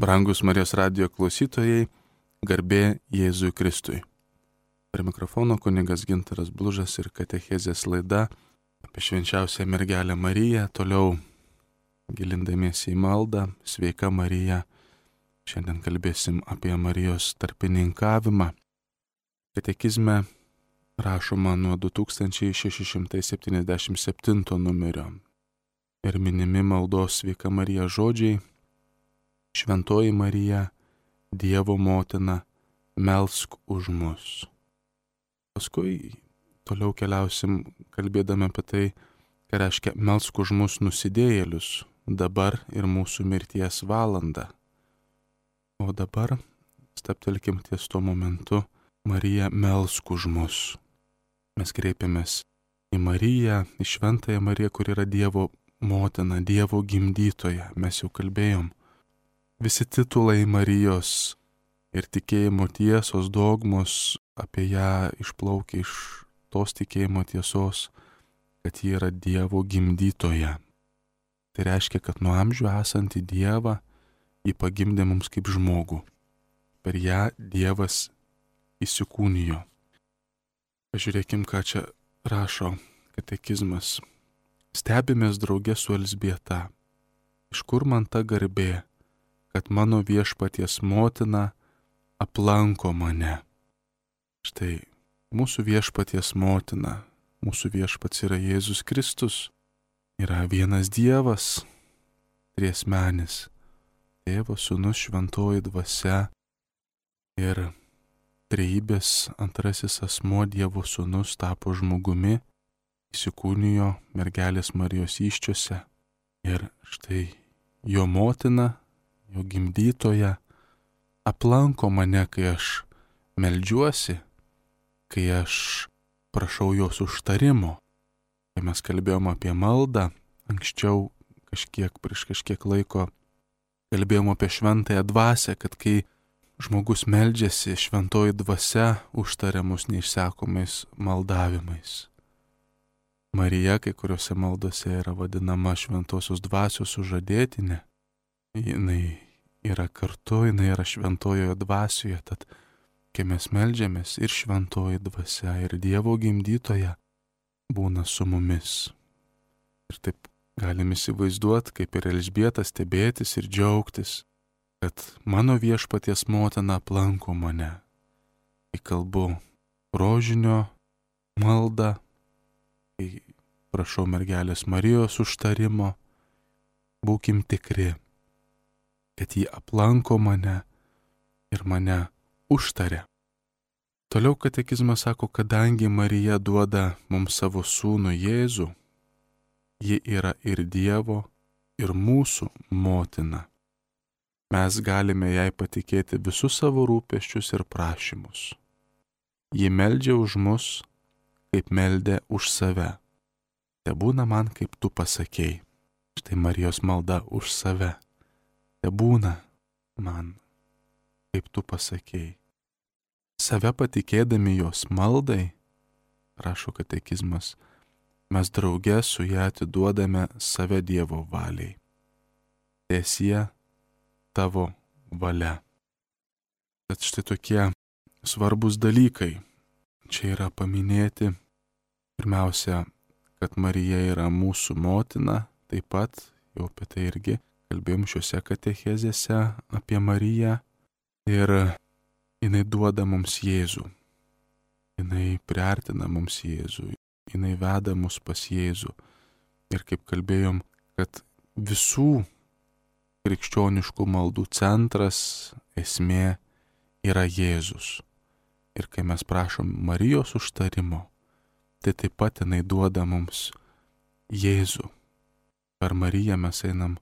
Brangus Marijos radijo klausytojai, garbė Jėzui Kristui. Prie mikrofono kunigas Gintaras Blužas ir katechezės laida apie švenčiausią mergelę Mariją. Toliau gilindamiesi į maldą, sveika Marija. Šiandien kalbėsim apie Marijos tarpininkavimą. Katekizme rašoma nuo 2677 numerio ir minimi maldos sveika Marija žodžiai: Šventoji Marija, Dievo motina, melsk už mus. Paskui toliau keliausim kalbėdami apie tai, ką reiškia melsk už mus nusidėjėlius dabar ir mūsų mirties valandą. O dabar stabtelkim ties tuo momentu: Marija, melsk už mus. Mes kreipiamės į Mariją, į Šventąją Mariją, kur yra Dievo motina, Dievo gimdytoja. Mes jau kalbėjom. Visi titulai Marijos ir tikėjimo tiesos, dogmos apie ją išplaukia iš tos tikėjimo tiesos, kad ji yra Dievo gimdytoja. Tai reiškia, kad nuo amžių esantį Dievą ji pagimdė mums kaip žmogų. Per ją Dievas įsikūnijo. Pažiūrėkim, ką čia rašo katekizmas. Stebimės draugė su Elzbieta. Iš kur man ta garbė, kad mano viešpaties motina aplanko mane? Štai mūsų viešpaties motina, mūsų viešpats yra Jėzus Kristus, yra vienas Dievas, triesmenis, Tėvas, Sūnus, Šventoji Dvasia ir trejybės antrasis asmuo Dievo Sūnus tapo žmogumi, įsikūnijo mergelės Marijos įsčiose ir štai jo motina, jo gimdytoja aplanko mane, kai aš meldžiuosi, kai aš prašau jos užtarimo. Kai mes kalbėjom apie maldą, anksčiau prieš kažkiek laiko kalbėjom apie šventąją dvasią, kad kai žmogus meldžiasi, šventoji dvasia užtaria mus neišsekomais maldavimais. Marija kai kuriuose maldose yra vadinama šventosios dvasios sužadėtinė. Jinai yra kartu, jinai yra šventojoje dvasioje, tad kai mes meldžiamės, ir šventoji dvasia, ir Dievo gimdytoja būna su mumis. Ir taip galim įsivaizduoti, kaip ir Elžbieta, stebėtis ir džiaugtis, kad mano viešpaties motina aplanko mane. Kai kalbu rožinio maldą, kai prašau mergelės Marijos užtarimo, būkim tikri, kad ji aplanko mane ir mane užtaria. Toliau katekizmas sako, kadangi Marija duoda mums savo sūnų Jėzų, ji yra ir Dievo, ir mūsų motina. Mes galime jai patikėti visus savo rūpesčius ir prašymus. Ji meldžia už mus, kaip meldė už save. Tebūna man, kaip tu pasakei. Štai Marijos malda už save. Tebūna man, kaip tu pasakei. Save patikėdami jos maldai, rašo katekizmas, mes drauge su ją atiduodame save Dievo valiai. Tiesie tavo valia. Tad štai tokie svarbus dalykai čia yra paminėti. Pirmiausia, kad Marija yra mūsų motina, taip pat jau apie tai irgi kalbėjom šiuose katechezėse apie Mariją, ir jinai duoda mums Jėzų. Jinai priartina mums Jėzų, jinai veda mus pas Jėzų. Ir kaip kalbėjom, kad visų krikščioniškų maldų centras, esmė yra Jėzus. Ir kai mes prašom Marijos užtarimo, tai taip pat jinai duoda mums Jėzų. Per Mariją mes einam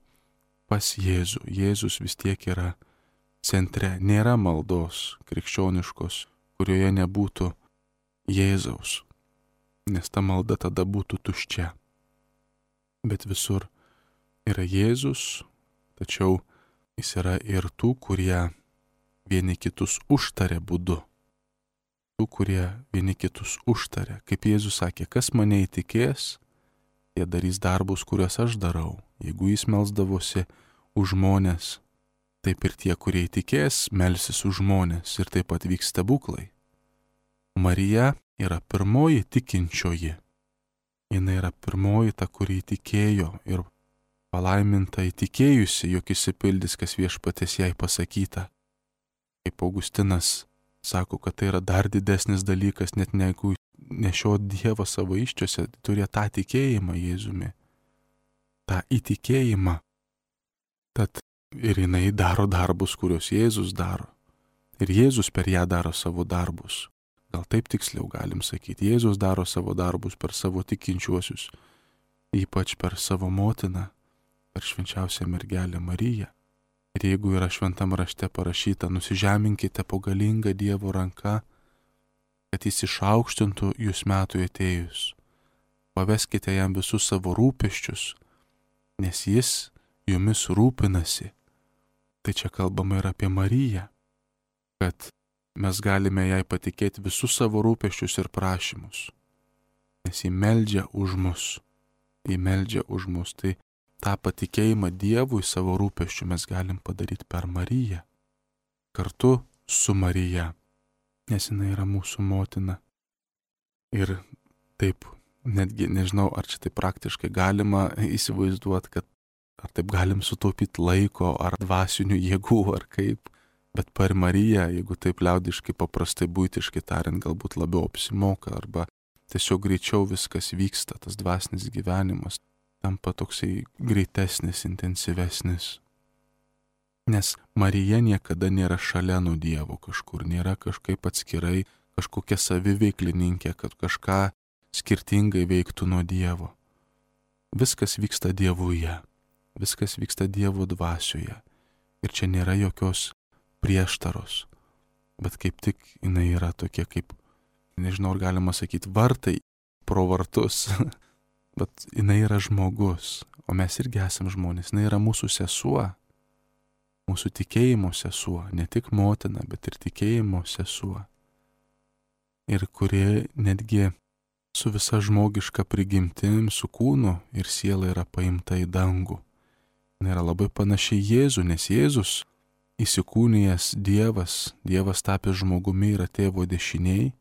pas Jėzų. Jėzus vis tiek yra centre. Nėra maldos krikščioniškos, kurioje nebūtų Jėzaus, nes ta malda tada būtų tuščia. Bet visur yra Jėzus, tačiau jis yra ir tų, kurie vieni kitus užtaria būdu. Tų, kurie vieni kitus užtaria. Kaip Jėzus sakė, kas mane įtikės, jie darys darbus, kuriuos aš darau. Jeigu jis melsdavosi už žmonės, taip ir tie, kurie įtikės, melsis už žmonės ir taip pat vyks stebuklai. Marija yra pirmoji tikinčioji. Jis yra pirmoji ta, kuri įtikėjo ir palaiminta įtikėjusi, jog išsipildys, kas viešpaties jai pasakyta. Kaip Augustinas sako, kad tai yra dar didesnis dalykas, net negu nešiot Dievą savo iščiose, turėjo tą tikėjimą Jėzumi, tą įtikėjimą. Tad ir jinai daro darbus, kuriuos Jėzus daro. Ir Jėzus per ją daro savo darbus. Gal taip tiksliau galim sakyti, Jėzus daro savo darbus per savo tikinčiuosius, ypač per savo motiną, per švenčiausią mergelę Mariją. Ir jeigu yra šventam rašte parašyta, nusižeminkite po galingą Dievo ranką, kad jis išaukštintų jūs metui atėjus. Paveskite jam visus savo rūpesčius, nes jis jumis rūpinasi. Tai čia kalbama ir apie Mariją, kad mes galime jai patikėti visus savo rūpesčius ir prašymus, nes jį meldžia už mus. Jį meldžia už mus. Tai tą patikėjimą Dievui savo rūpesčių mes galim padaryti per Mariją, kartu su Marija, nes jinai yra mūsų motina. Ir taip, netgi nežinau, ar čia taip praktiškai galima įsivaizduoti, kad ar taip galim sutaupyti laiko, ar dvasinių jėgų, ar kaip. Bet per Mariją, jeigu taip liaudiškai paprastai buitiškai tariant, galbūt labiau apsimoka, arba tiesiog greičiau viskas vyksta, tas dvasinis gyvenimas tampa toksai greitesnis, intensyvesnis. Nes Marija niekada nėra šalia nuo Dievo kažkur, nėra kažkaip atskirai, kažkokia saviveiklininkė, kad kažką skirtingai veiktų nuo Dievo. Viskas vyksta Dievuje, viskas vyksta Dievo dvasioje. Ir čia nėra jokios prieštaros, bet kaip tik jinai yra tokia kaip, nežinau, ar galima sakyti, vartai pro vartus, bet jinai yra žmogus, o mes irgi esam žmonės, jinai yra mūsų sesuo, mūsų tikėjimo sesuo, ne tik motina, bet ir tikėjimo sesuo. Ir kuri netgi su visa žmogiška prigimtim, su kūnu ir siela yra paimta į dangų. Jinai yra labai panašiai Jėzų, nes Jėzus įsikūnijęs Dievas tapęs žmogumi yra tėvo dešiniai,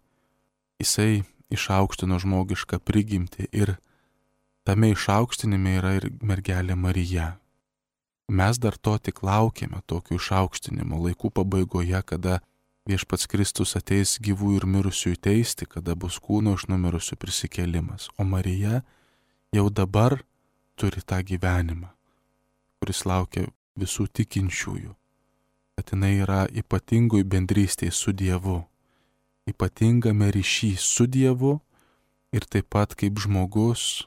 jisai išaukštino žmogišką prigimtį ir tame išaukštinime yra ir mergelė Marija. Mes dar to tik laukiame, tokio išaukštinimo laikų pabaigoje, kada viešpats Kristus ateis gyvų ir mirusių teisti, kada bus kūno iš numirusių prisikėlimas. O Marija jau dabar turi tą gyvenimą, kuris laukia visų tikinčiųjų. Kad jinai yra ypatingoj bendrystėje su Dievu, ypatingame ryšy su Dievu ir taip pat kaip žmogus,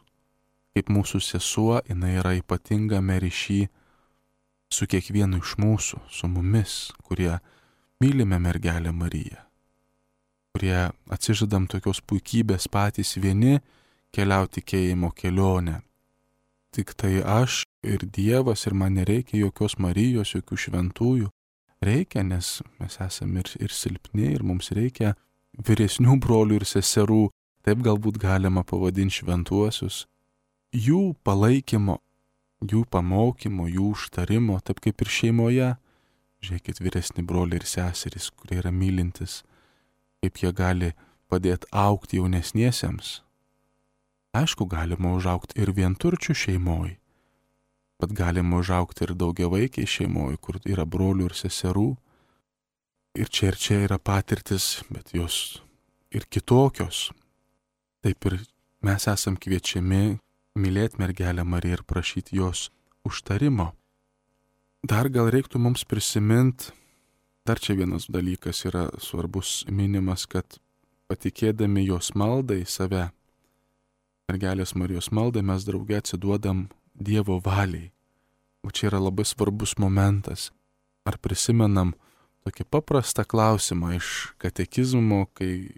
kaip mūsų sesuo, jinai yra ypatingame ryšy su kiekvienu iš mūsų, su mumis, kurie mylime mergelę Mariją, kurie atsižadam tokios puikybės patys vieni keliauti tikėjimo kelionę. Tik tai aš ir Dievas ir man nereikia jokios Marijos, jokių šventųjų. Reikia, nes mes esame ir silpni ir mums reikia vyresnių brolių ir seserų, taip galbūt galima pavadinti šventuosius, jų palaikymo, jų pamokymo, jų užtarimo, taip kaip ir šeimoje. Žiūrėkit, vyresni broliai ir seserys, kurie yra mylintis, kaip jie gali padėti augti jaunesniesiems. Aišku, galima užaugti ir vienturčių šeimoj, bet galima užaugti ir daugiavaikiai šeimoj, kur yra brolių ir seserų. Ir čia yra patirtis, bet jos ir kitokios. Taip ir mes esam kviečiami mylėti mergelę Mariją ir prašyti jos užtarimo. Dar gal reiktų mums prisiminti, dar čia vienas dalykas yra svarbus minimas, kad patikėdami jos maldai save, mergelės Marijos maldai, mes drauge atsiduodam Dievo valiai. O čia yra labai svarbus momentas. Ar prisimenam tokį paprastą klausimą iš katekizmo, kai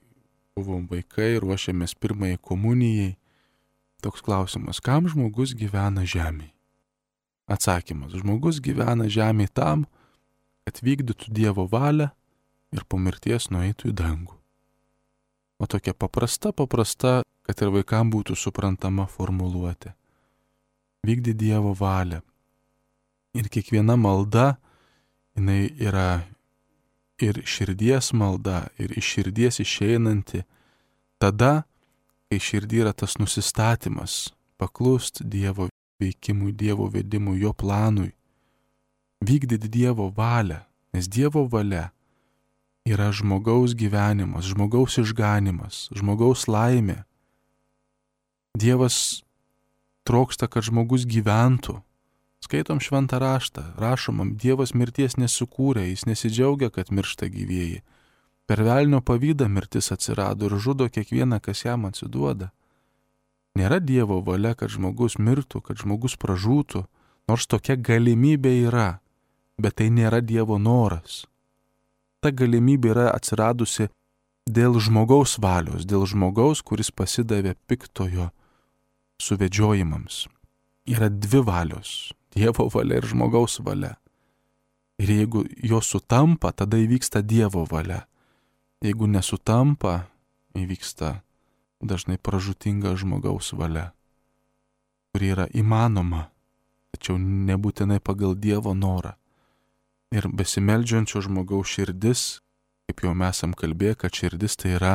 buvom vaikai, ruošėmės pirmajai komunijai. Toks klausimas, kam žmogus gyvena žemėje? Atsakymas, žmogus gyvena žemėje tam, kad vykdytų Dievo valią ir po mirties nueitų į dangų. O tokia paprasta, kad ir vaikam būtų suprantama formuluotė. Vykdyti Dievo valią. Ir kiekviena malda jinai yra ir širdies malda, ir iš širdies išeinanti. Tada, kai širdį yra tas nusistatymas, paklust Dievo veikimui, Dievo vedimui, jo planui, vykdyti Dievo valią, nes Dievo valia yra žmogaus gyvenimas, žmogaus išganimas, žmogaus laimė. Dievas trokšta, kad žmogus gyventų. Skaitom šventą raštą, rašomam, Dievas mirties nesukūrė, jis nesidžiaugia, kad miršta gyvieji. Per velnio pavydą mirtis atsirado ir žudo kiekvieną, kas jam atsiduoda. Nėra Dievo valia, kad žmogus mirtų, kad žmogus pražūtų, nors tokia galimybė yra, bet tai nėra Dievo noras. Ta galimybė yra atsiradusi dėl žmogaus valios, dėl žmogaus, kuris pasidavė piktojo suvedžiojimams. Yra dvi valios - Dievo valia ir žmogaus valia. Ir jeigu jos sutampa, tada įvyksta Dievo valia. Jeigu nesutampa, įvyksta dažnai pražūtinga žmogaus valia, kuri yra įmanoma, tačiau nebūtinai pagal Dievo norą. Ir besimeldžiančio žmogaus širdis, kaip jau mes esam kalbėję, kad širdis tai yra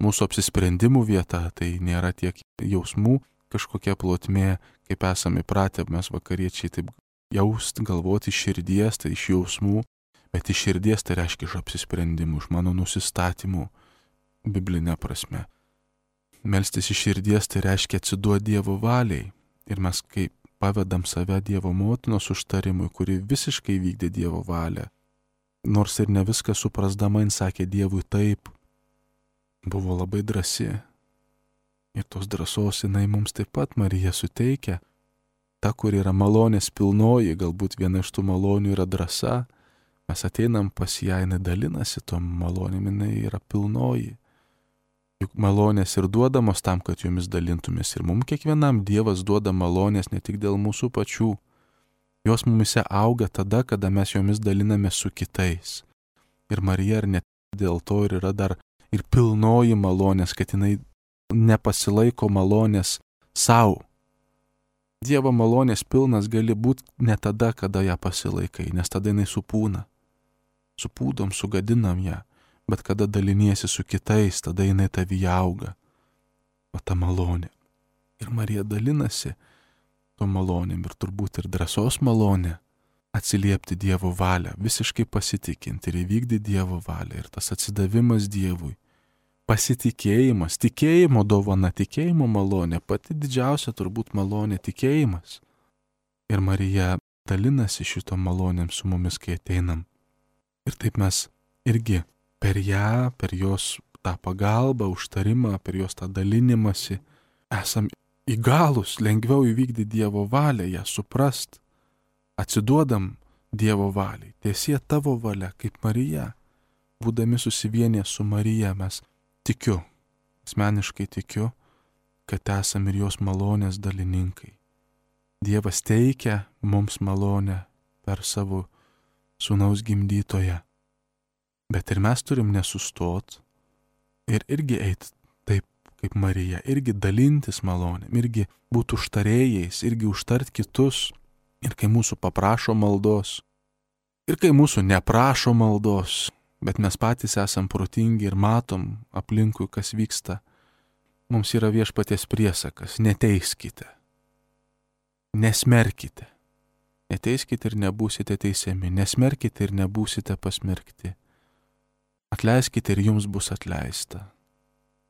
mūsų apsisprendimų vieta, tai nėra tiek jausmų kažkokia plotmė, kaip esame įpratę mes vakariečiai taip jaust, galvoti iš širdies, tai iš jausmų, bet iš širdies tai reiškia iš apsisprendimų, iš mano nusistatymų, biblinė prasme. Melstis iš širdies tai reiškia atsiduoti Dievo valiai. Ir mes kaip pavedam save Dievo motinos užtarimui, kuri visiškai vykdė Dievo valią. Nors ir ne viską suprasdama, jin sakė Dievui taip. Buvo labai drąsi. Ir tos drąsos jinai mums taip pat Marija suteikia. Ta, kur yra malonės pilnoji, galbūt viena iš tų malonių yra drąsa. Mes ateinam pas ją, jinai dalinasi tom malonėm, jinai yra pilnoji. Juk malonės ir duodamos tam, kad jomis dalintumės. Ir mums kiekvienam Dievas duoda malonės ne tik dėl mūsų pačių. Jos mumise auga tada, kada mes jomis daliname su kitais. Ir Marija ir net dėl to ir yra dar ir pilnoji malonės, kad jinai nepasilaiko malonės savo. Dievo malonės pilnas gali būti ne tada, kada ją pasilaikai, nes tada jinai supūna. Supūdom, sugadinam ją. Bet kada daliniesi su kitais, tada jinai tavyje auga. O ta malonė. Ir Marija dalinasi to malonėm ir turbūt ir drąsos malonė atsiliepti Dievo valią, visiškai pasitikinti ir įvykdyti Dievo valią. Ir tas atsidavimas Dievui, pasitikėjimas, tikėjimo dovana, tikėjimo malonė, pati didžiausia turbūt malonė tikėjimas. Ir Marija dalinasi šito malonėm su mumis, kai ateinam. Ir taip mes irgi per ją, per jos tą pagalbą, užtarimą, per jos tą dalinimąsi, esam įgalus lengviau įvykdyti Dievo valią, ją suprast, atsiduodam Dievo valiai. Tiesie tavo valia, kaip Marija. Būdami susivienę su Marija, mes tikiu, asmeniškai tikiu, kad esam ir jos malonės dalininkai. Dievas teikia mums malonę per savo sūnaus gimdytoją. Bet ir mes turim nesustot ir irgi eiti taip kaip Marija, irgi dalintis malonėm, irgi būti užtarėjais, irgi užtart kitus. Ir kai mūsų paprašo maldos, ir kai mūsų neprašo maldos, bet mes patys esam protingi ir matom aplinkui, kas vyksta, mums yra viešpaties priesakas: neteiskite, nesmerkite. Neteiskite ir nebūsite teisiami, nesmerkite ir nebūsite pasmerkti. Atleiskite ir jums bus atleista.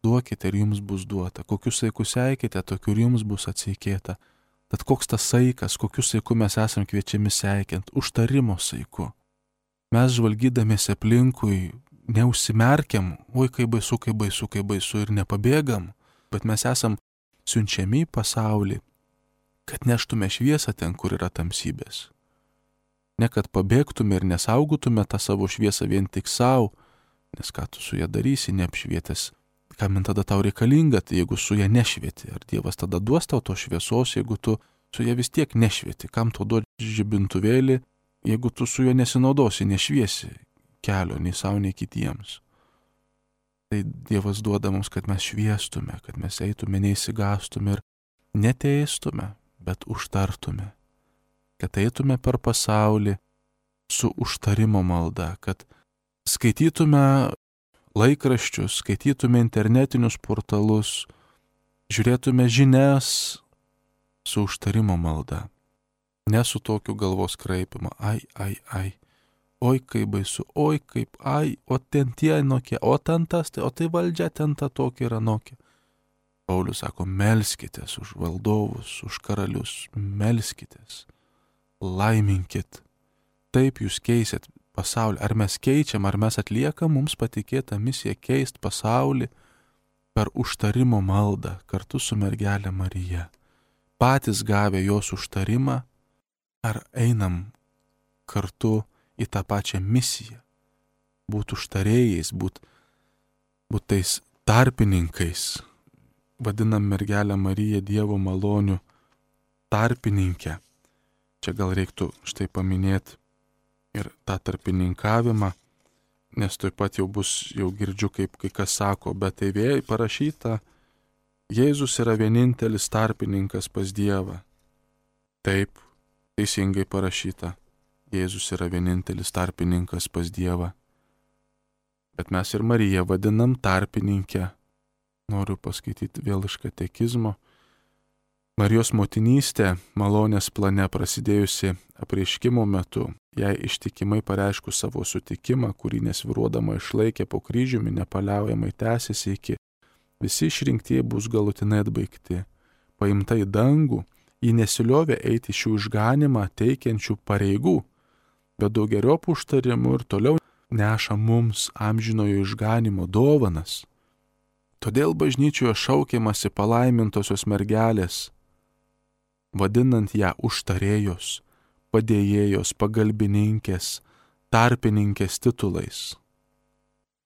Duokite ir jums bus duota. Kokius saikus seikite, tokiu ir jums bus atseikėta. Tad koks tas saikas, kokiu saiku mes esam kviečiami seikiant? Užtarimo saiku. Mes žvalgydamėsi aplinkui neužsimerkiam, oi kaip baisu, kaip baisu, kaip baisu ir nepabėgam, bet mes esam siunčiami į pasaulį, kad neštume šviesą ten, kur yra tamsybės. Ne kad pabėgtume ir nesaugotume tą savo šviesą vien tik savo, nes ką tu su ją darysi, neapšvietęs, kam tada tau reikalinga, tai jeigu su ją nešvieti, ar Dievas tada duos tau to šviesos, jeigu tu su ją vis tiek nešvieti, kam tau duoti žibintuvėlį, jeigu tu su juo nesinaudosi, nešviesi kelio nei savo, nei kitiems. Tai Dievas duoda mums, kad mes šviestume, kad mes eitume, neįsigastume ir neteistume, bet užtartume, kad eitume per pasaulį su užtarimo malda, kad skaitytume laikraščius, skaitytume internetinius portalus, žiūrėtume žinias su užtarimo malda. Ne su tokiu galvos kraipimu, ai, oi kaip baisu, oi kaip, o ten tie nokie, o ten tas, o tai valdžia ten ta tokia yra nokia. Paulius sako, melskitės už valdovus, už karalius, melskitės, laiminkit. Taip jūs keisit pasaulį. Ar mes keičiam, ar mes atliekam mums patikėtą misiją keist pasaulį per užtarimo maldą kartu su mergelė Marija. Patys gavę jos užtarimą, ar einam kartu į tą pačią misiją. Būt užtarėjais, būt tais tarpininkais. Vadinam mergelę Mariją Dievo malonių tarpininkę. Čia gal reiktų štai paminėti ir tą tarpininkavimą, nes taip pat jau girdžiu, kaip kai kas sako, bet tai vėl parašyta, Jėzus yra vienintelis tarpininkas pas Dievą. Taip, teisingai parašyta, Jėzus yra vienintelis tarpininkas pas Dievą. Bet mes ir Mariją vadinam tarpininkę. Noriu paskaityti vėl iš katekizmo. Marijos motinystė malonės plane prasidėjusi apreiškimo metu, jai ištikimai pareiškus savo sutikimą, kurį nesviruodama išlaikė po kryžiumi, nepaliaujamai tęsiasi iki visi išrinktieji bus galutinai atbaigti. Paimta į dangų, ji nesiliovė eiti šių išganimą teikiančių pareigų, bet daugeriopų užtarimų ir toliau neša mums amžinojo išganimo dovanas. Todėl bažnyčioje šaukiamasi palaimintosios mergelės, vadinant ją užtarėjos, padėjėjos, pagalbininkės, tarpininkės titulais.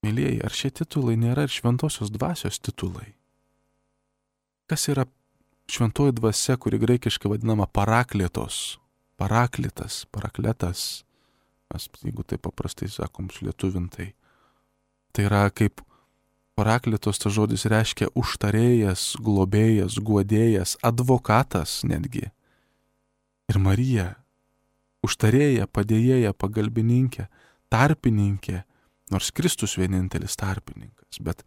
Mylėjai, ar šie titulai nėra ir šventosios dvasios titulai? Kas yra šventoji dvasia, kuri graikiškai vadinama parakletos, parakletas, mes, jeigu tai paprastai sakom, lietuvintai. Tai yra kaip parakletos, tas žodis reiškia užtarėjas, globėjas, guodėjas, advokatas netgi. Ir Marija, užtarėja, padėjėja, pagalbininkė, tarpininkė, nors Kristus vienintelis tarpininkas, bet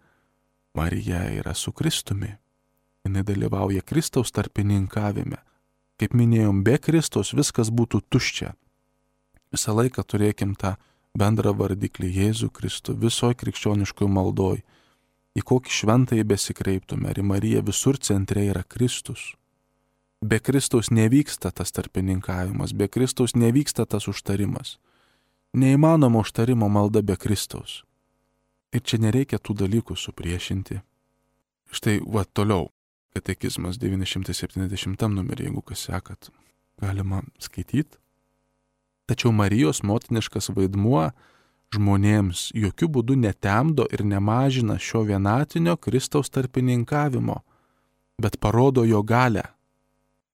Marija yra su Kristumi. Jis dalyvauja Kristaus tarpininkavime. Kaip minėjom, be Kristaus viskas būtų tuščia. Visą laiką turėkim tą bendrą vardiklį Jėzų Kristų visoje krikščioniškoje maldoje. Į kokį šventąjį besikreiptume, ar į Mariją, visur centre yra Kristus. Be Kristaus nevyksta tas tarpininkavimas, be Kristaus nevyksta tas užtarimas. Neįmanoma užtarimo malda be Kristaus. Ir čia nereikia tų dalykų supriešinti. Štai, toliau, katekizmas 970 numerį, jeigu kas sekat, galima skaityti. Tačiau Marijos motiniškas vaidmuo žmonėms jokių būdų netemdo ir nemažina šio vienatinio Kristaus tarpininkavimo, bet parodo jo galę.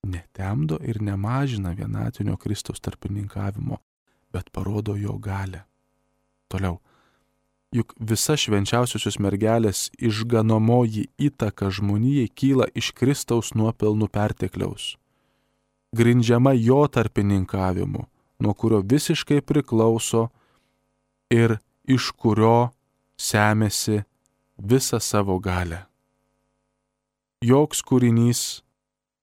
Netemdo ir nemažina vienatinio Kristaus tarpininkavimo, bet parodo jo galę. Toliau. Juk visa švenčiausiosios mergelės išganomoji įtaka žmonijai kyla iš Kristaus nuopelnų pertekliaus, grindžiama jo tarpininkavimu, nuo kurio visiškai priklauso ir iš kurio semiasi visą savo galę. Joks kūrinys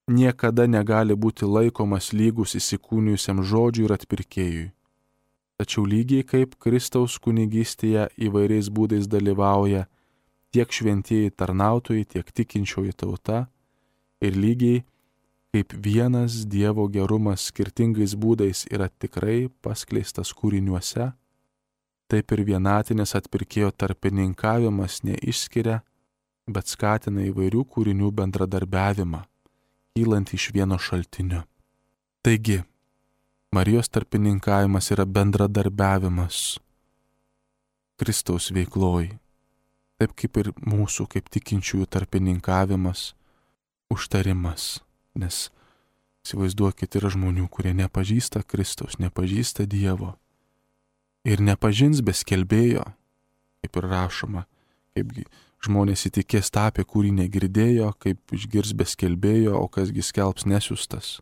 niekada negali būti laikomas lygus įsikūnijusiam žodžiui ir atpirkėjui. Tačiau lygiai kaip Kristaus kunigystėje įvairiais būdais dalyvauja tiek šventieji tarnautojai, tiek tikinčioji tauta, ir lygiai kaip vienas Dievo gerumas skirtingais būdais yra tikrai paskleistas kūriniuose, taip ir vienatinis atpirkėjo tarpininkavimas neišskiria, bet skatina įvairių kūrinių bendradarbiavimą, kylant iš vieno šaltinio. Taigi, Marijos tarpininkavimas yra bendradarbiavimas Kristaus veikloj, taip kaip ir mūsų kaip tikinčiųjų tarpininkavimas, užtarimas, nes įsivaizduokit, yra žmonių, kurie nepažįsta Kristaus, nepažįsta Dievo. Ir nepažins be skelbėjo, kaip ir rašoma, kaip žmonės įtikės tą, apie kurį negirdėjo, kaip išgirs be skelbėjo, o kasgi skelbs nesiųstas.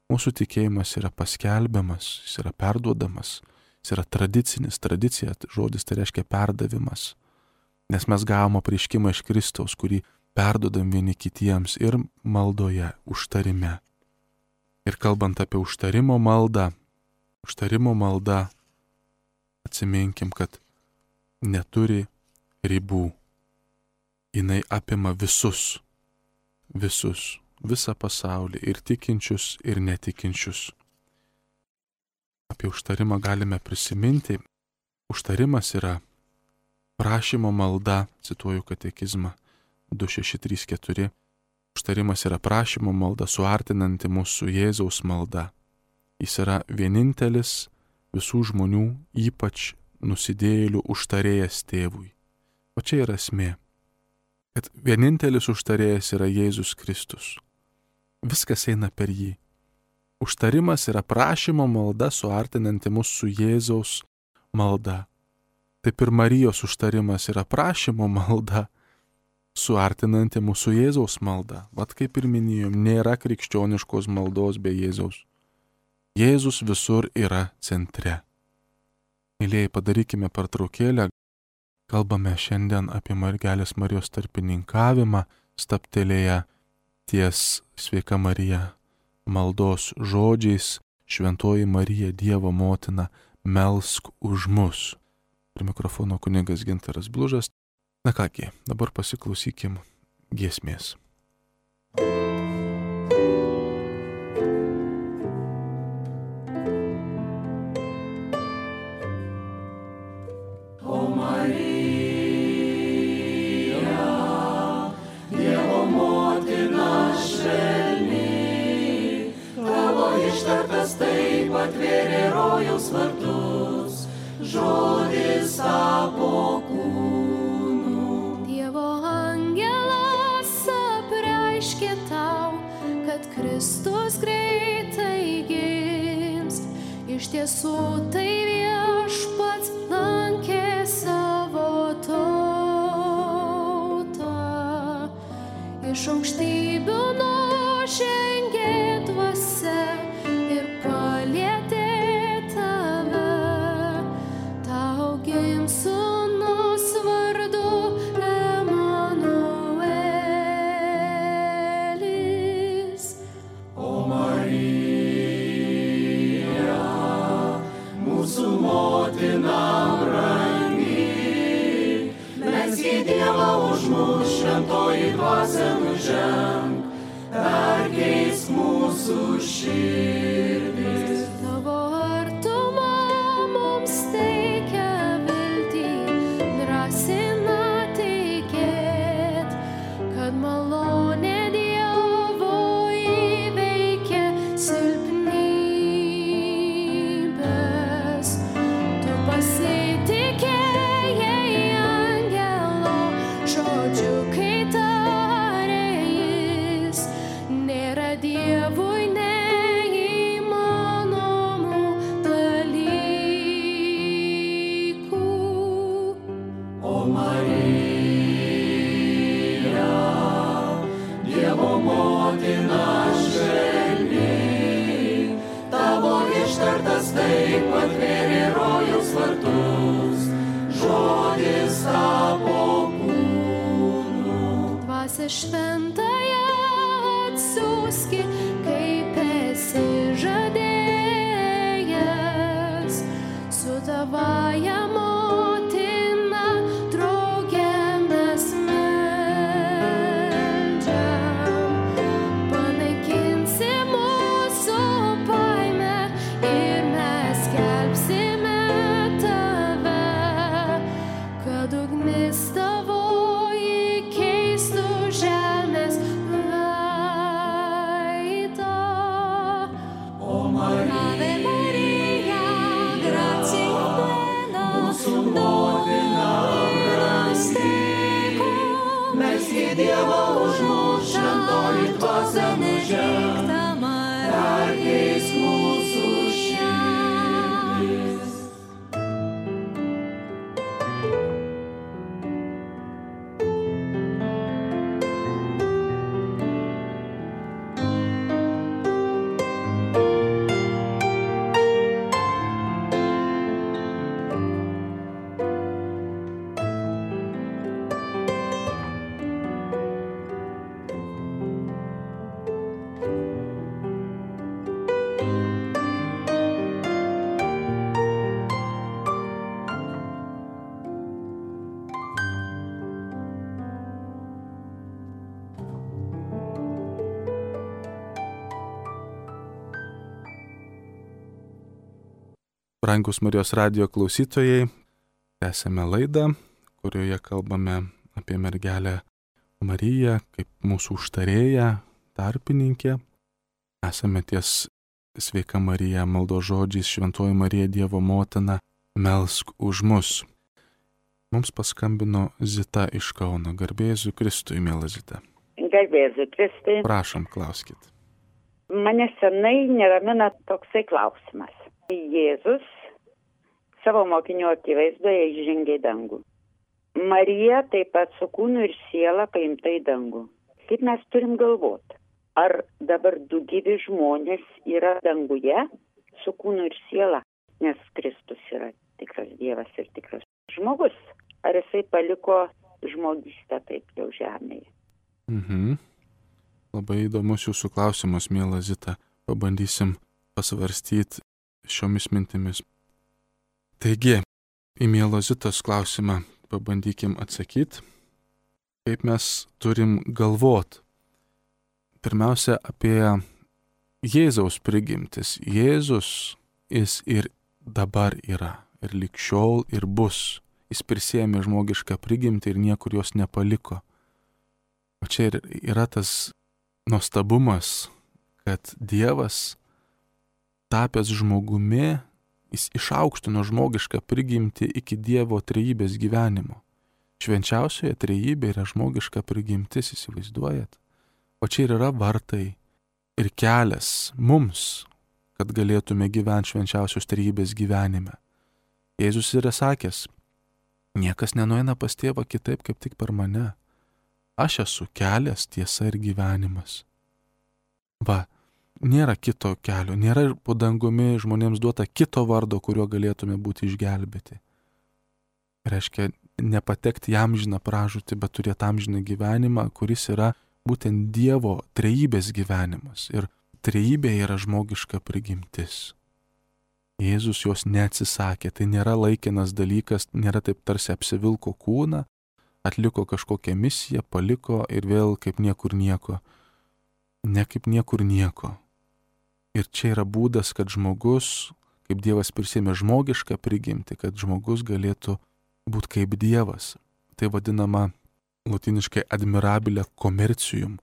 Mūsų tikėjimas yra paskelbiamas, jis yra perduodamas, jis yra tradicinis, tradicija, žodis tai reiškia perdavimas. Nes mes gavome apreiškimą iš Kristaus, kurį perduodam vieni kitiems ir maldoje, užtarime. Ir kalbant apie užtarimo malda, atsiminkim, kad neturi ribų. Jinai apima visus, visą pasaulį, ir tikinčius, ir netikinčius. Apie užtarimą galime prisiminti. Užtarimas yra prašymo malda, cituoju katekizmą 2634. Užtarimas yra prašymo malda, suartinanti mūsų Jėzaus malda. Jis yra vienintelis visų žmonių, ypač nusidėjėlių užtarėjas tėvui. O čia yra esmė, kad vienintelis užtarėjas yra Jėzus Kristus. Viskas eina per jį. Užtarimas yra prašymo malda, suartinanti mūsų Jėzaus malda. Taip ir Marijos užtarimas yra prašymo malda, suartinanti mūsų Jėzaus malda. Vat kaip ir minėjom, nėra krikščioniškos maldos be Jėzaus. Jėzus visur yra centre. Mylėjai, padarykime pertraukėlę. Kalbame šiandien apie Mergelės Marijos tarpininkavimą, stabtelėję ties Sveika Marija maldos žodžiais: Šventoji Marija, Dievo motina, melsk už mus. Prie mikrofono kunigas Gintaras Blužas. Na kągi, dabar pasiklausykim giesmės. Ištartas taip atvėrė rojaus vartus, žodis tapo kūnu. Dievo angelas apreiškė tau, kad Kristus greitai gims. Iš tiesų tai viešpats lankė savo tautą. Iš aukštybių nužengė dvasia ir palietė tave. Tau gims sūnus vardu Emanuelis. O Marija, mūsų motina brangi, melski Dievą už mus, šventoji dvasia nuženk, perkeisk mūsų širdis. Tavo artuma mums teikia viltį, drąsina tikėt, kad malonė Dievo įveikia silpnybės. Tu pasitikėjai angelo žodžiu, kai tarė jis: nėra Dievui neįmanomų dalykų. O Marija, Dievo motina švelni, tavo ištartas taip atvėrė rojaus vartus, žodis tapo kūnu. Dvasia šventąją atsiųski, kaip esi žadėjęs, su tavąja motina drauge mes meldžiam. Panaikinsi mūsų baimę ir mes skelbsime tave, kad ugnis tavoji keistų žemės veidą. O Marija, mūsų motina brangi, melski Dievą už mus, šventoji dvasia nuženk, perkeisk mūsų širdis. Brangus Marijos radijo klausytojai, tęsėme laidą, kurioje kalbame apie mergelę Mariją kaip mūsų užtarėją, tarpininkę. Esame ties Sveika Marija maldos žodžiais, Šventoji Marija Dievo motina, melsk už mus. Mums paskambino Zita iš Kauno. Garbė Jėzui Kristui, miela Zita. Garbė Jėzui Kristui. Prašom, klauskit. Mane senai neramina toksai klausimas. Jėzus savo mokinių akivaizdoje įžengė į dangų. Marija taip pat su kūnu ir siela paimta į dangų. Kaip mes turim galvoti? Ar dabar du gyvi žmonės yra danguje su kūnu ir siela? Nes Kristus yra tikras Dievas ir tikras žmogus. Ar jisai paliko žmogystę taip jau žemėje? Labai įdomus jūsų klausimas, miela Zita. Pabandysim pasvarstyti šiomis mintimis. Taigi, į mielo Zitos klausimą pabandykim atsakyti, kaip mes turim galvot. Pirmiausia, apie Jėzaus prigimtis. Jėzus, jis ir dabar yra, ir lig šiol, ir bus. Jis prisėmė žmogišką prigimtį ir niekur jos nepaliko. O čia ir yra tas nuostabumas, kad Dievas, tapęs žmogumi, jis išaukštino žmogišką prigimtį iki Dievo trejybės gyvenimo. Švenčiausioje trejybė yra žmogiška prigimtis, įsivaizduojat? O čia ir yra vartai ir kelias mums, kad galėtume gyventi švenčiausios trejybės gyvenime. Jėzus yra sakęs, niekas nenueina pas tėvą kitaip, kaip tik per mane. Aš esu kelias, tiesa ir gyvenimas. Va, nėra kito kelio, nėra po dangumi žmonėms duota kito vardo, kuriuo galėtume būti išgelbėti. Reiškia, nepatekti į amžiną pražūtį, bet turėti amžiną gyvenimą, kuris yra būtent Dievo trejybės gyvenimas. Ir trejybė yra žmogiška prigimtis. Jėzus jos neatsisakė, tai nėra laikinas dalykas, nėra taip tarsi apsivilko kūną, atliko kažkokią misiją, paliko ir vėl kaip niekur nieko. Ne kaip niekur nieko. Ir čia yra būdas, kad žmogus, kaip Dievas prisėmė žmogišką prigimtį, kad žmogus galėtų būti kaip Dievas. Tai vadinama lotiniškai admirabile commercium.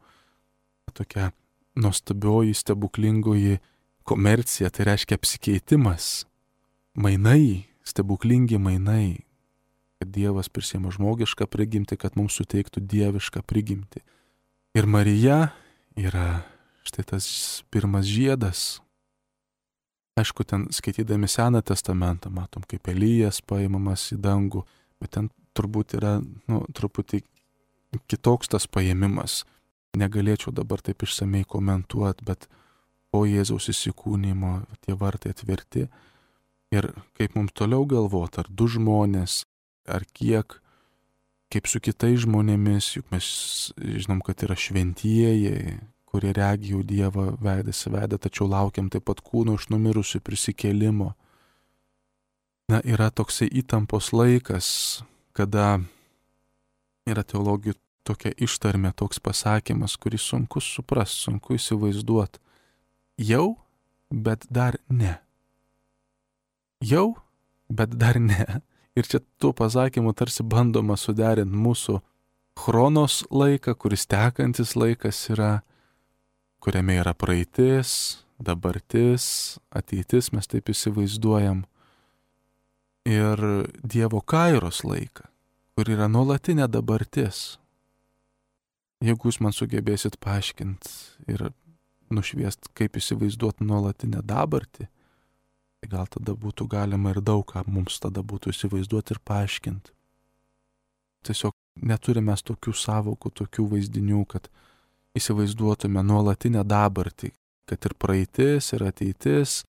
Tokia nuostabioji, stebuklingoji komercija, tai reiškia apsikeitimas. Mainai, stebuklingi mainai. Kad Dievas prisėmė žmogišką prigimtį, kad mums suteiktų dievišką prigimtį. Ir Marija yra štai tas pirmas žiedas. Aišku, ten skaitydami Seną testamentą matom, kaip Elijas paimamas į dangų, bet ten turbūt yra, truputį kitoks tas paėmimas. Negalėčiau dabar taip išsamei komentuoti, bet po Jėzaus įsikūnymo tie vartai atverti. Ir kaip mums toliau galvoti, ar du žmonės, ar kiek, kaip su kitais žmonėmis, juk mes žinom, kad yra šventieji, kurie regi jau Dievą veidas į veidą, tačiau laukiam taip pat kūno iš numirusių prisikėlimo. Yra toksai įtampos laikas, kada yra teologijų tokia ištarmė, toks pasakymas, kurį sunku suprasti, sunku įsivaizduoti. Jau, bet dar ne. Jau, bet dar ne. Ir čia tuo pasakymu tarsi bandoma suderinti mūsų chronos laiką, kuris tekantis laikas yra, kuriame yra praeitis, dabartis, ateitis, mes taip įsivaizduojam. Ir Dievo kairos laiką, kur yra nuolatinė dabartis. Jeigu jūs man sugebėsit paaiškinti ir nušviest, kaip įsivaizduoti nuolatinę dabartį, tai gal tada būtų galima ir daug ką mums tada būtų įsivaizduoti ir paaiškinti. Tiesiog neturime tokių savokų, tokių vaizdinių, kad įsivaizduotume nuolatinę dabartį, kad ir praeitis, ir ateitis,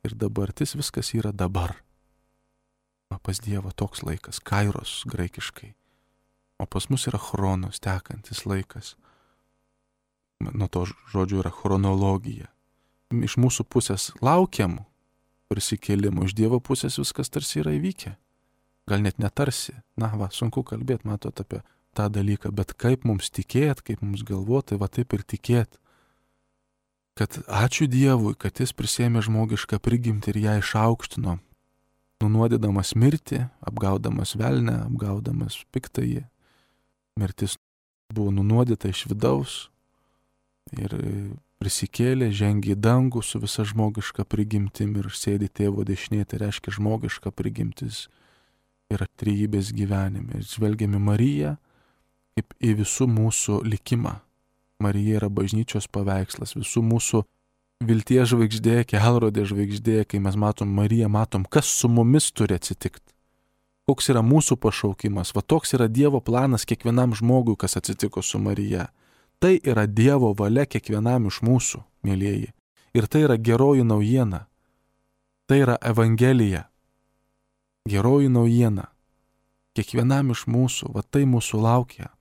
ir dabartis, viskas yra dabar. Pas Dievą toks laikas, kairos graikiškai. O pas mus yra chronos, tekantis laikas. Nuo to žodžio yra chronologija. Iš mūsų pusės laukiam prisikėlimo, iš Dievo pusės viskas tarsi yra įvykę. Gal net netarsi. Sunku kalbėti, matot, apie tą dalyką, bet kaip mums tikėt, kaip mums galvoti, va taip ir tikėt. Kad ačiū Dievui, kad jis prisėmė žmogišką prigimtį ir ją išaukštino. nunuodydamas mirtį, apgaudamas velnę, apgaudamas piktąjį. Mirtis buvo nunuodyta iš vidaus ir prisikėlė, žengė į dangų su visa žmogiška prigimtim ir sėdi tėvo dešinėje, tai reiškia žmogiška prigimtis yra trejybės gyvenime. Ir žvelgiame Mariją kaip į visų mūsų likimą. Marija yra bažnyčios paveikslas, visų mūsų vilties žvaigždė, kelrodė žvaigždė. Kai mes matom Mariją, matom, kas su mumis turi atsitikti. Koks yra mūsų pašaukimas. Va toks yra Dievo planas kiekvienam žmogui, kas atsitiko su Marija. Tai yra Dievo valia kiekvienam iš mūsų, mėlyjeji. Ir tai yra geroji naujiena. Tai yra Evangelija. Geroji naujiena. Kiekvienam iš mūsų, va tai mūsų laukia.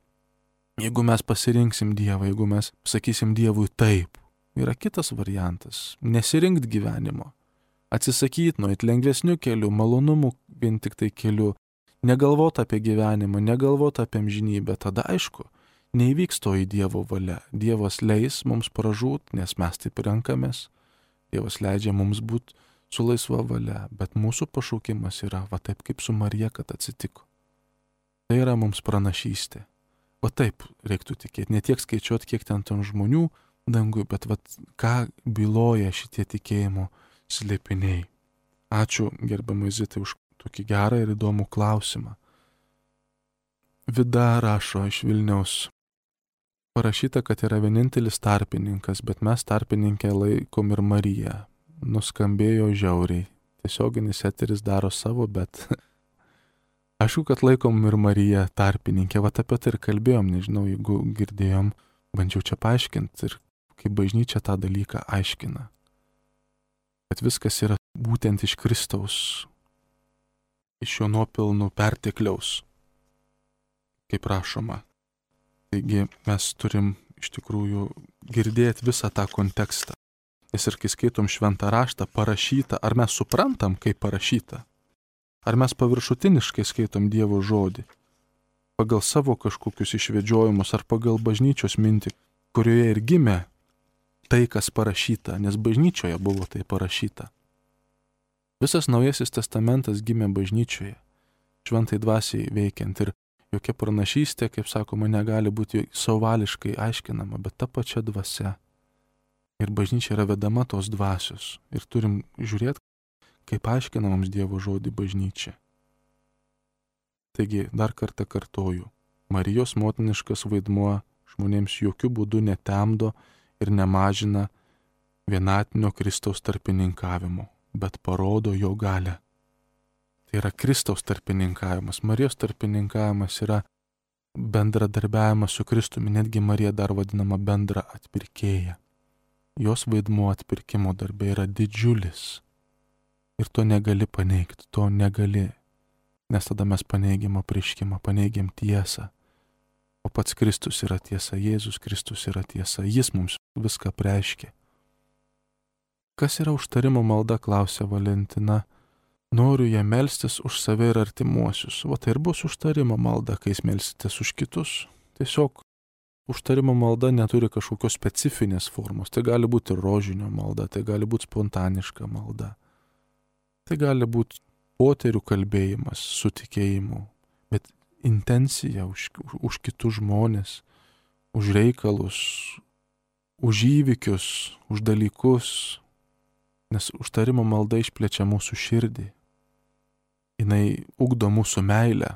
Jeigu mes pasirinksim Dievą, jeigu mes sakysim Dievui taip, yra kitas variantas. Nesirinkt gyvenimo. Atsisakyti nuo lengvesnių kelių, malonumų vien tik tai kelių. Negalvot apie gyvenimą, negalvot apie amžinybę. Tada aišku, neįvyks to į Dievo valia. Dievas leis mums pražūt, nes mes taip renkamės. Dievas leidžia mums būti su laisva valia, bet mūsų pašaukimas yra va taip kaip su Marija, kad atsitiko. Tai yra mums pranašystė. Va taip reiktų tikėti. Ne tiek skaičiuoti, kiek ten žmonių dangui, bet va ką byloja šitie tikėjimo slėpiniai. Ačiū gerbiamai Zitai už tokį gerą ir įdomų klausimą. Vida rašo iš Vilniaus. Parašyta, kad yra vienintelis tarpininkas, bet mes tarpininkę laikom ir Mariją. Nuskambėjo žiauriai. Tiesioginis eteris daro savo, bet aišku, kad laikom ir Mariją tarpininkę. Vat apie tai ir kalbėjom, nežinau, jeigu girdėjom, bandžiau čia paaiškinti ir kaip bažnyčia tą dalyką aiškina. Kad viskas yra būtent iš Kristaus, iš jo nuopelnų pertekliaus, kaip rašoma. Taigi mes turim iš tikrųjų girdėti visą tą kontekstą. Nes ir kai skaitom šventą raštą parašytą, ar mes suprantam, kaip parašyta? Ar mes paviršutiniškai skaitom Dievo žodį? Pagal savo kažkokius išvedžiojimus ar pagal bažnyčios mintį, kurioje ir gimė tai, kas parašyta, nes bažnyčioje buvo tai parašyta. Visas Naujasis testamentas gimė bažnyčioje, šventai dvasiai veikiant ir jokia pranašystė, kaip sakoma, negali būti savališkai aiškinama, bet ta pačia dvasia. Ir bažnyčia yra vedama tos dvasios ir turim žiūrėti, kaip aiškina mums Dievo žodį bažnyčia. Taigi, dar kartą kartoju, Marijos motiniškas vaidmuo žmonėms jokių būdų netemdo ir nemažina vienatinio Kristaus tarpininkavimo, bet parodo jo galę. Tai yra Kristaus tarpininkavimas. Marijos tarpininkavimas yra bendradarbiavimas su Kristumi, netgi Marija dar vadinama bendra atpirkėja. Jos vaidmuo atpirkimo darbe yra didžiulis. Ir to negali paneigti, to negali. Nes tada mes paneigiam apreiškimą, paneigiam tiesą. O pats Kristus yra tiesa, Jėzus Kristus yra tiesa, jis mums viską preiškė. Kas yra užtarimo malda, klausia Valentina. Noriu ją melstis už save ir artimuosius. O tai ir bus užtarimo malda, kai jūs melsitės už kitus. Tiesiog užtarimo malda neturi kažkokios specifinės formos. Tai gali būti rožinio malda, tai gali būti spontaniška malda. Tai gali būti poterių kalbėjimas su tikėjimu, bet intencija už kitus žmonės, už reikalus, už įvykius, už dalykus, nes užtarimo malda išplečia mūsų širdį. Jinai ugdo mūsų meilę,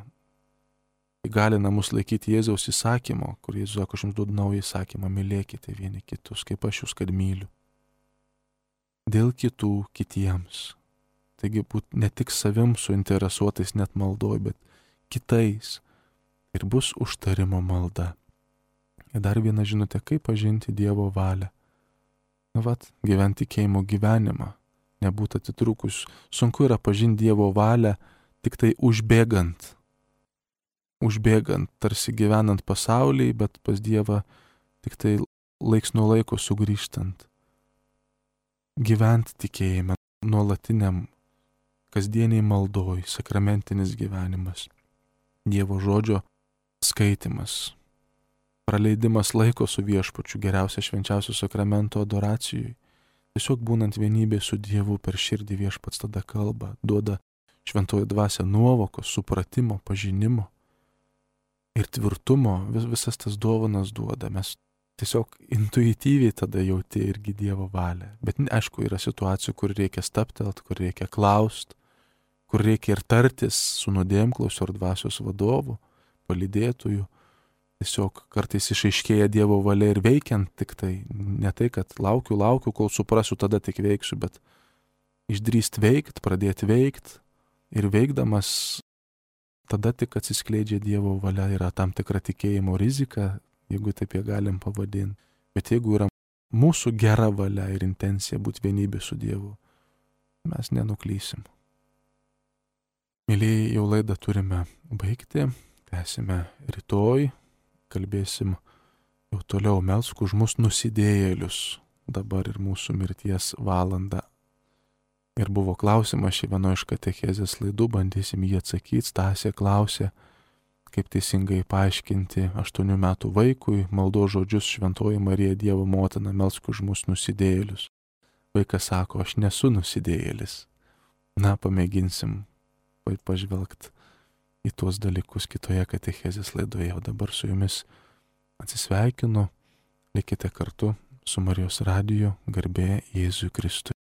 įgalina mus laikyti Jėzaus įsakymo, kur Jėzus sako, aš jums duodu naują įsakymą, mylėkite vieni kitus, kaip aš jūs kad myliu. Dėl kitų kitiems. Taigi būt ne tik savim suinteresuotais net maldoj, bet kitais. Ir bus užtarimo malda. Ir dar viena žinutė, kaip pažinti Dievo valią. Gyventi tikėjimo gyvenimą, nebūt atitrūkus. Sunku yra pažinti Dievo valią tik tai užbėgant. Užbėgant, tarsi gyvenant pasaulyje, bet pas Dievą tik tai laiks nuo laiko sugrįžtant. Gyventi tikėjime, nuolatiniam, kasdieniai maldoj, sakramentinis gyvenimas, Dievo žodžio skaitimas, praleidimas laiko su viešpačiu, geriausia švenčiausio sakramento adoracijui. Tiesiog būnant vienybė su Dievu per širdį viešpats tada kalba, duoda šventoji dvasia nuovokos, supratimo, pažinimo ir tvirtumo, visas tas dovanas duoda. Mes tiesiog intuityviai tada jauti irgi Dievo valią. Bet aišku, yra situacijų, kur reikia stabtelt, kur reikia klaust, kur reikia ir tartis su nuodėmklausiu ar dvasios vadovu, palydėtoju. Tiesiog kartais išaiškėja Dievo valia ir veikiant tik tai. Ne tai, kad laukiu, kol suprasiu, tada tik veiksiu, bet išdrįst veikt, pradėti veikt ir veikdamas tada tik atsiskleidžia Dievo valia, yra tam tikra tikėjimo rizika, jeigu taip ją galim pavadinti. Bet jeigu yra mūsų gera valia ir intencija būti vienybė su Dievu, mes nenuklysim. Mylėjai, jau laidą turime baigti, tęsime rytoj, kalbėsim jau toliau, melsk už mus nusidėjėlius, dabar ir mūsų mirties valanda. Ir buvo klausimas šį vieno iš katechezės laidų, bandysim jį atsakyti. Stasė klausė, kaip teisingai paaiškinti 8 metų vaikui maldos žodžius Šventoji Marija Dievo motina, melsk už mus nusidėjėlius. Vaikas sako, aš nesu nusidėjėlis. Na, pamėginsim pažvelgti į tuos dalykus kitoje katechezės laidoje. O dabar su jumis atsisveikinu, likite kartu su Marijos radiju, garbė Jėzui Kristui.